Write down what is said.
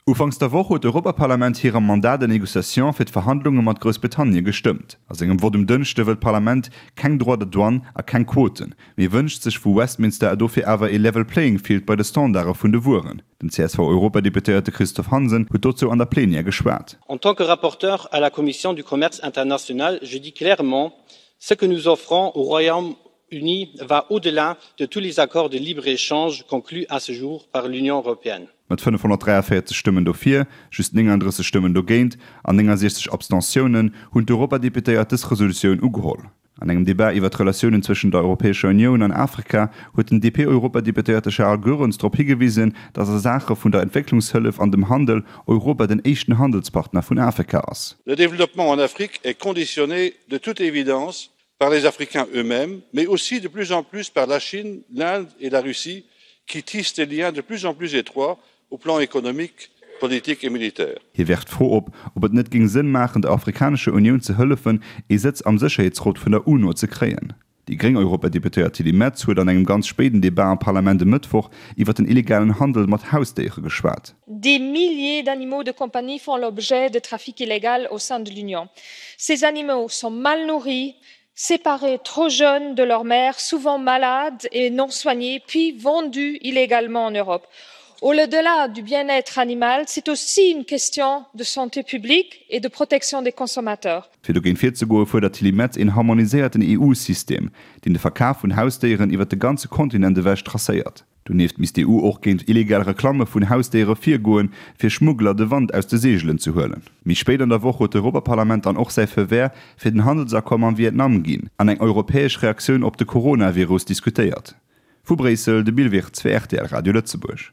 Ufanks der Woch huet d'Europaparlament hirem Mandat de négociation fir d'Verhandlunge mat Groussbritannien gestëmmt. A sengem Vott um Dënschde wëll d'Parlament keng Droits de douane a keng Quoten, mee wënscht sech vu Westminster dofir awer ee level playing field bei de Standarde vun de Wueren. Den CSV-Europadeputéierte Christophe Hansen huet dozou an der Plenière geschwat. En tant que rapporteur à la Commission du commerce international, je dis clairement, ce que nous offrons au Royaume-Uni va au-delà de tous les accords de libre-échange conclus à ce jour par l'Union européenne. Mat 543 Stëmmen dofir, just 39 Stëmmen dogéint an 69 Abstentiounen hunn d'Europadeputéiert dës Resolutioun ugeholl. An engem Debat iwwer d'Relatiounen zwëschen der Europäescher Unioun an Afrika huet den DP-Europadeputéierte Charles Goerens drop higewisen, datt a Saache vun der Entwécklungshëllef an dem Handel Europa den éischten Handelspartner vun Afrika ass. Le développement en Afrique est conditionné de toute évidence par les Africains eux-mêmes, mais aussi de plus en plus par la Chine, l'Inde et la Russie, qui tissent des liens de plus en plus étroits au plan économique, politique et militaire. Hie werft d'Fro op, ob et net géing Sënn maachen, der Afrikanescher Unioun ze hëllefen, ee Sëtz am Sécherheetsrot vun der UNO ze kréien. Déi gréng Europadeputéiert Tilly Metz huet an engem ganz spéiden Debat am Parlament e Mëttwoch iwwer den illegalen Handel mat Hausdéiere geschwat. Des milliers d'animaux de compagnie font l'objet de trafic illégal au sein de l'Union. Ces animaux sont mal nourris, séparés trop jeunes de leur mère, souvent malades et non soignés, puis vendus illégalement en Europe. Au-delà du bien-être animal, c'est aussi une question de santé publique et de protection des consommateurs. Fir dogéint virzegoe fuerdert d'Tilly Metz een harmoniséierten EU-System, deen de Verkaf vun Hausdéieren iwwer de ganze Kontinent ewech tracéiert. Donieft misst d'EU och géint illegal Reklamme vun Hausdéiere virgoen, fir Schmuggler de Wand aus de Seegelen ze huelen. Méi spéit an der Woch huet d'Europaparlament dann och säi Feu vert fir den Handelsaccord mam Vietnam ginn an eng europäesch Reaktioun op de Coronavirus diskutéiert. Vu Bréissel, de Bill Wirtz fir rtl Radio Lëtzebuerg.